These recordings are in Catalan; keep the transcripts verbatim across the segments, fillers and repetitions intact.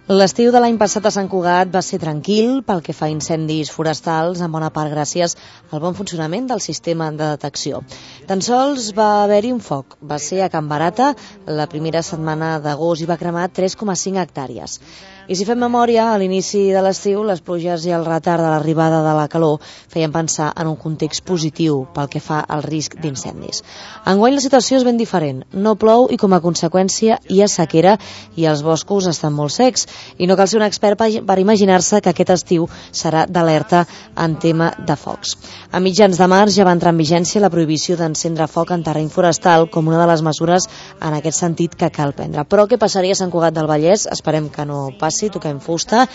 L'estiu de l'any passat a Sant Cugat va ser tranquil pel que fa a incendis forestals, en bona part gràcies al bon funcionament del sistema de detecció. Tan sols va haver-hi un foc. Va ser a Can Barata la primera setmana d'agost i va cremar tres coma cinc hectàrees. I si fem memòria, a l'inici de l'estiu, les pluges i el retard de l'arribada de la calor feien pensar en un context positiu pel que fa al risc d'incendis. Enguany la situació és ben diferent. No plou i com a conseqüència hi ha sequera i els boscos estan molt secs. I no cal ser un expert per imaginar-se que aquest estiu serà d'alerta en tema de focs. A mitjans de març ja va entrar en vigència la prohibició d'encendre foc en terreny forestal com una de les mesures en aquest sentit que cal prendre. Però què passaria a Sant Cugat del Vallès? Esperem que no passi, toquem fusta.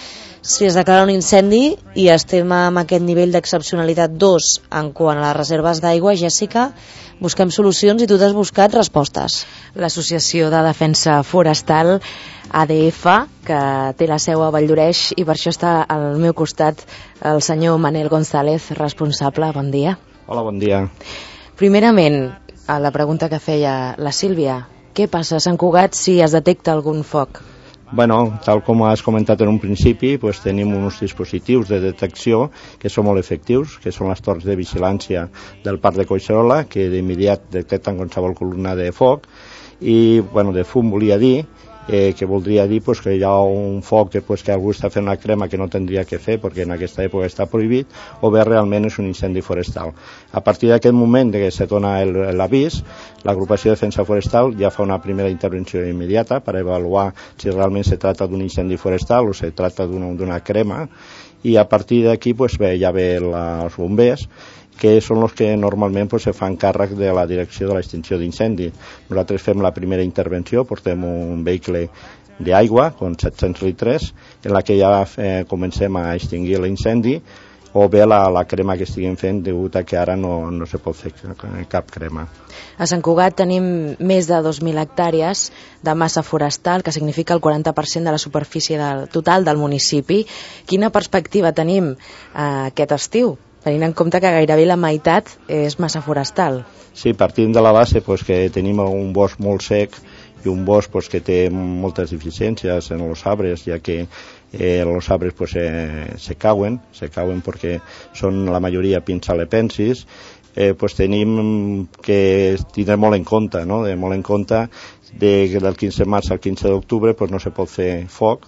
Si es declara un incendi i estem amb aquest nivell d'excepcionalitat dos en quant a les reserves d'aigua, Jèssica, busquem solucions i tu t'has buscat respostes. L'Associació de Defensa Forestal A D F, que té la seu a Valldoreix, i per això està al meu costat el senyor Manel González, responsable. Bon dia. Hola, bon dia. Primerament, a la pregunta que feia la Sílvia, què passa a Sant Cugat si es detecta algun foc? Bueno, tal com has comentat en un principi, pues tenim uns dispositius de detecció que són molt efectius, que són les torres de vigilància del Parc de Collserola, que d'immediat detecten qualsevol columna de foc, i bueno, de fum volia dir, eh, que voldria dir pues, que hi ha un foc que, pues, que algú està fent una crema que no tindria que fer perquè en aquesta època està prohibit, o bé realment és un incendi forestal. A partir d'aquest moment que se dona l'avís, l'agrupació de defensa forestal ja fa una primera intervenció immediata per avaluar si realment se tracta d'un incendi forestal o se tracta d'una crema, i a partir d'aquí pues, bé, ja ve la, els bombers, que són els que normalment pues, se fan càrrec de la direcció de l'extinció d'incendi. Nosaltres fem la primera intervenció, portem un vehicle d'aigua, amb set-cents litres, en la que ja eh, comencem a extingir l'incendi, o bé la, la crema que estiguem fent, degut a que ara no, no se pot fer cap crema. A Sant Cugat tenim més de dos mil hectàrees de massa forestal, que significa el quaranta per cent de la superfície del, total del municipi. Quina perspectiva tenim eh, aquest estiu, tenint en compte que gairebé la meitat és massa forestal? Sí, partim de la base pues, que tenim un bosc molt sec i un bosc pues, que té moltes deficiències en els arbres, ja que eh, els arbres pues, eh, se cauen, se cauen perquè són la majoria pins alepensis. Eh, pues, tenim que tindre molt en compte, no? de, molt en compte de, del quinze de març al quinze d'octubre pues, no se pot fer foc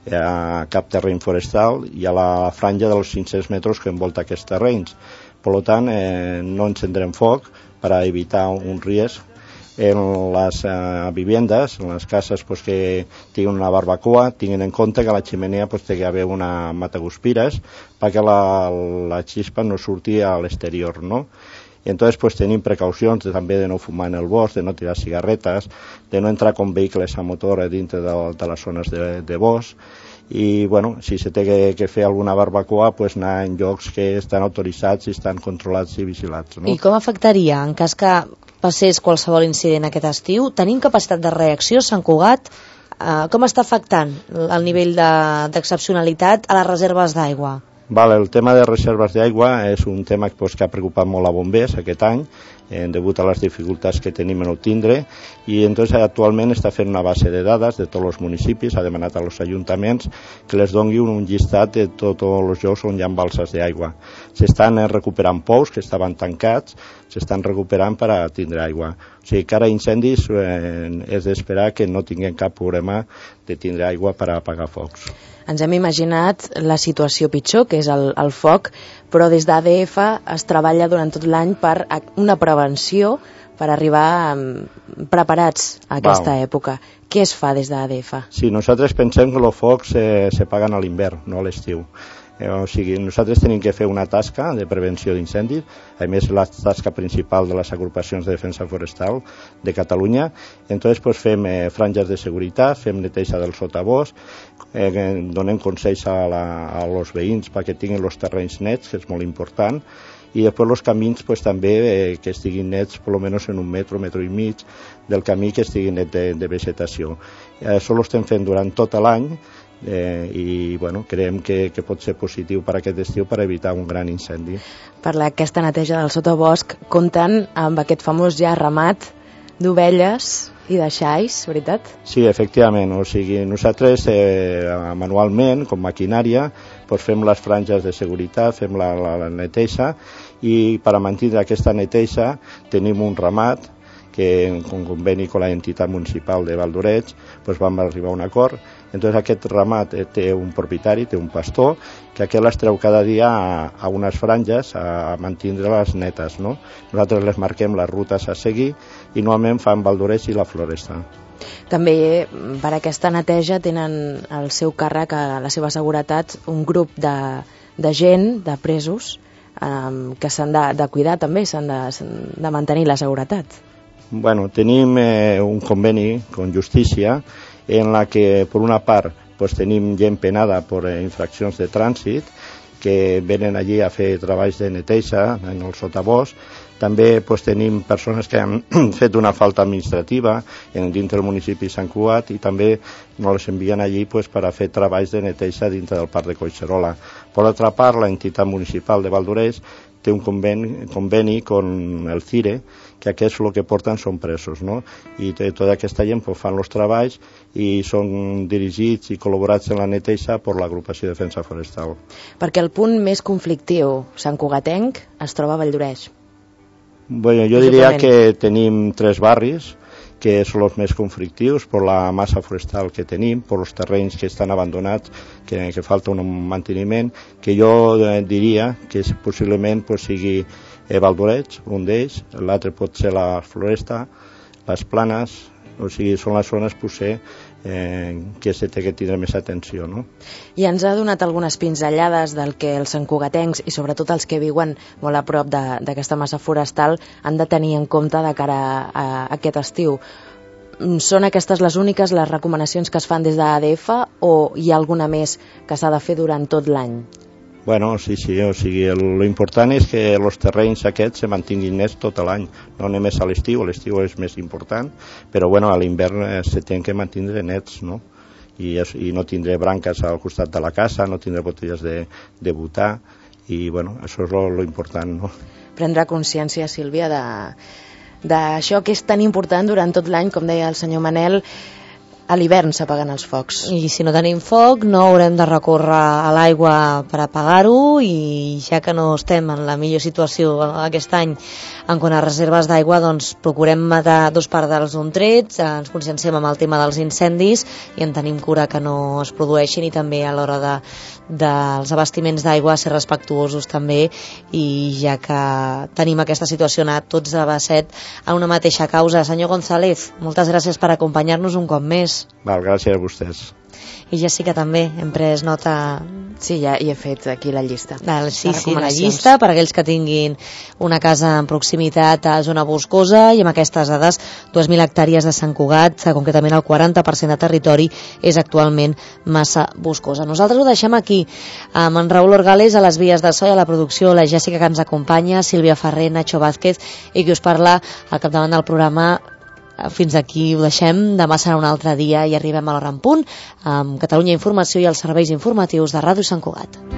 a cap terreny forestal i a la franja dels cinc-cents metres que envolta aquests terrenys. Per tant, eh, no encendrem foc per a evitar un risc en les eh, vivendes, en les cases pues, que tinguin una barbacoa, tinguin en compte que a la xemeneia pues, té que haver una mataguspires perquè la, la xispa no surti a l'exterior, no? I entonces pues, tenim precaucions de, també de no fumar en el bosc, de no tirar cigarretes, de no entrar com vehicles a motor a dintre de, de les zones de, de bosc, i bueno, si se té que, que fer alguna barbacoa, pues, anar en llocs que estan autoritzats i estan controlats i vigilats. No? I com afectaria en cas que passés qualsevol incident aquest estiu? Tenim capacitat de reacció, Sant Cugat? Eh, com està afectant el nivell d'excepcionalitat a les reserves d'aigua? Vale, el tema de reserves d'aigua és un tema pues, que ha preocupat molt a bombers aquest any, eh, degut a les dificultats que tenim en obtindre, i entonces actualment està fent una base de dades de tots els municipis, ha demanat als ajuntaments que les doni un llistat de tots els llocs on hi ha balses d'aigua. S'estan recuperant pous que estaven tancats, s'estan recuperant per a tindre aigua. O sigui que ara incendis eh, és d'esperar que no tinguem cap problema de tindre aigua per a apagar focs. Ens hem imaginat la situació pitjor, que és el, el foc, però des d'A D F es treballa durant tot l'any per una prevenció per arribar um, preparats a aquesta Val. època. Què es fa des d'A D F? Sí, nosaltres pensem que els focs eh, se paguen a l'hivern, no a l'estiu. Eh, o sigui, nosaltres tenim que fer una tasca de prevenció d'incendis, a més la tasca principal de les agrupacions de defensa forestal de Catalunya. Entonces pues, fem eh, franges de seguretat, fem neteja del sotabosc, eh, donem consells a, la, a los veïns perquè tinguin els terrenys nets, que és molt important, i després els camins pues, també eh, que estiguin nets per almenys en un metro, metro i mig del camí que estigui net de, de vegetació. Eh, això ho estem fent durant tot l'any, Eh, i bueno, creiem que, que pot ser positiu per aquest estiu per evitar un gran incendi. Per aquesta neteja del sotabosc compten amb aquest famós ja ramat d'ovelles I deixais, veritat? Sí, efectivament. O sigui, nosaltres eh, manualment, com maquinària, doncs fem les franges de seguretat, fem la, la, la neteja, i per a mantenir aquesta neteja tenim un ramat que en conveni amb l'entitat municipal de Val d'Oreig doncs vam arribar a un acord. Entonces aquest ramat té un propietari, té un pastor, que aquest les treu cada dia a, a unes franges a mantenir-les netes, no? Nosaltres les marquem les rutes a seguir i normalment fan Val d'Oreig i la Floresta. També per aquesta neteja tenen al seu càrrec, a la seva seguretat, un grup de, de gent, de presos, eh, que s'han de, de cuidar també, s'han de, de mantenir la seguretat. Bueno, tenim eh, un conveni con Justícia en la que, per una part, pues, tenim gent penada per eh, infraccions de trànsit que venen allí a fer treballs de neteja en el sotabosc. També pues, tenim persones que han fet una falta administrativa en, dintre del municipi de Sant Cugat i també nos les envien allí pues, per a fer treballs de neteja dintre del parc de Collserola. Per l'altra part, l'entitat municipal de Val d'Oreig té un conveni, conveni con el CIRE, que aquests el que porten són presos, no? I tota aquesta gent pues, fan els treballs i són dirigits i col·laborats en la neteja per l'agrupació de defensa forestal. Perquè el punt més conflictiu santcugatenc es troba a Vall d'Oreig. Bueno, jo diria que tenim tres barris que són els més conflictius per la massa forestal que tenim, per els terrenys que estan abandonats, que, que falta un manteniment, que jo eh, diria que possiblement pues, sigui eh, Val d'Oreig, un d'ells, l'altre pot ser la Floresta, les Planes, o sigui, són les zones potser eh, que se té que tindre més atenció, no? I ens ha donat algunes pinzellades del que els santcugatencs i sobretot els que viuen molt a prop d'aquesta massa forestal han de tenir en compte de cara a, a aquest estiu. Són aquestes les úniques les recomanacions que es fan des de A D F o hi ha alguna més que s'ha de fer durant tot l'any? Bueno, sí, sí, o sigui, l'important és que els terrenys aquests se mantinguin nets tot l'any, no només a l'estiu, l'estiu és més important, però bueno, a l'hivern se tenen que mantenir nets, no? I, i no tindré branques al costat de la casa, no tindré botelles de, de butà, i bueno, això és lo important, no? Prendre consciència, Sílvia, de d'això que és tan important durant tot l'any, com deia el senyor Manel. A l'hivern s'apaguen els focs. I si no tenim foc no haurem de recórrer a l'aigua per apagar-ho, i ja que no estem en la millor situació aquest any en quant a reserves d'aigua, doncs procurem matar dos pardals d'un tret, ens conscienciem amb el tema dels incendis i en tenim cura que no es produeixin, i també a l'hora de, dels abastiments d'aigua ser respectuosos també, i ja que tenim aquesta situació anar tots a basset en una mateixa causa. Senyor González, moltes gràcies per acompanyar-nos un cop més. Val, gràcies a vostès. I Jessica també, hem pres nota. Sí, ja hi he fet aquí la llista. Del, sí, sí, la llista per a aquells que tinguin una casa en proximitat a zona boscosa, i amb aquestes dades, dues mil hectàrees de Sant Cugat, concretament el quaranta per cent de territori és actualment massa boscosa. Nosaltres ho deixem aquí, amb en Raül Orgales a les vies de so i a la producció, la Jessica que ens acompanya, Sílvia Ferrer, Nacho Vázquez, i qui us parla al capdavant del programa. Fins aquí ho deixem, demà serà un altre dia i arribem a l'hora en punt amb Catalunya Informació i els serveis informatius de Ràdio Sant Cugat.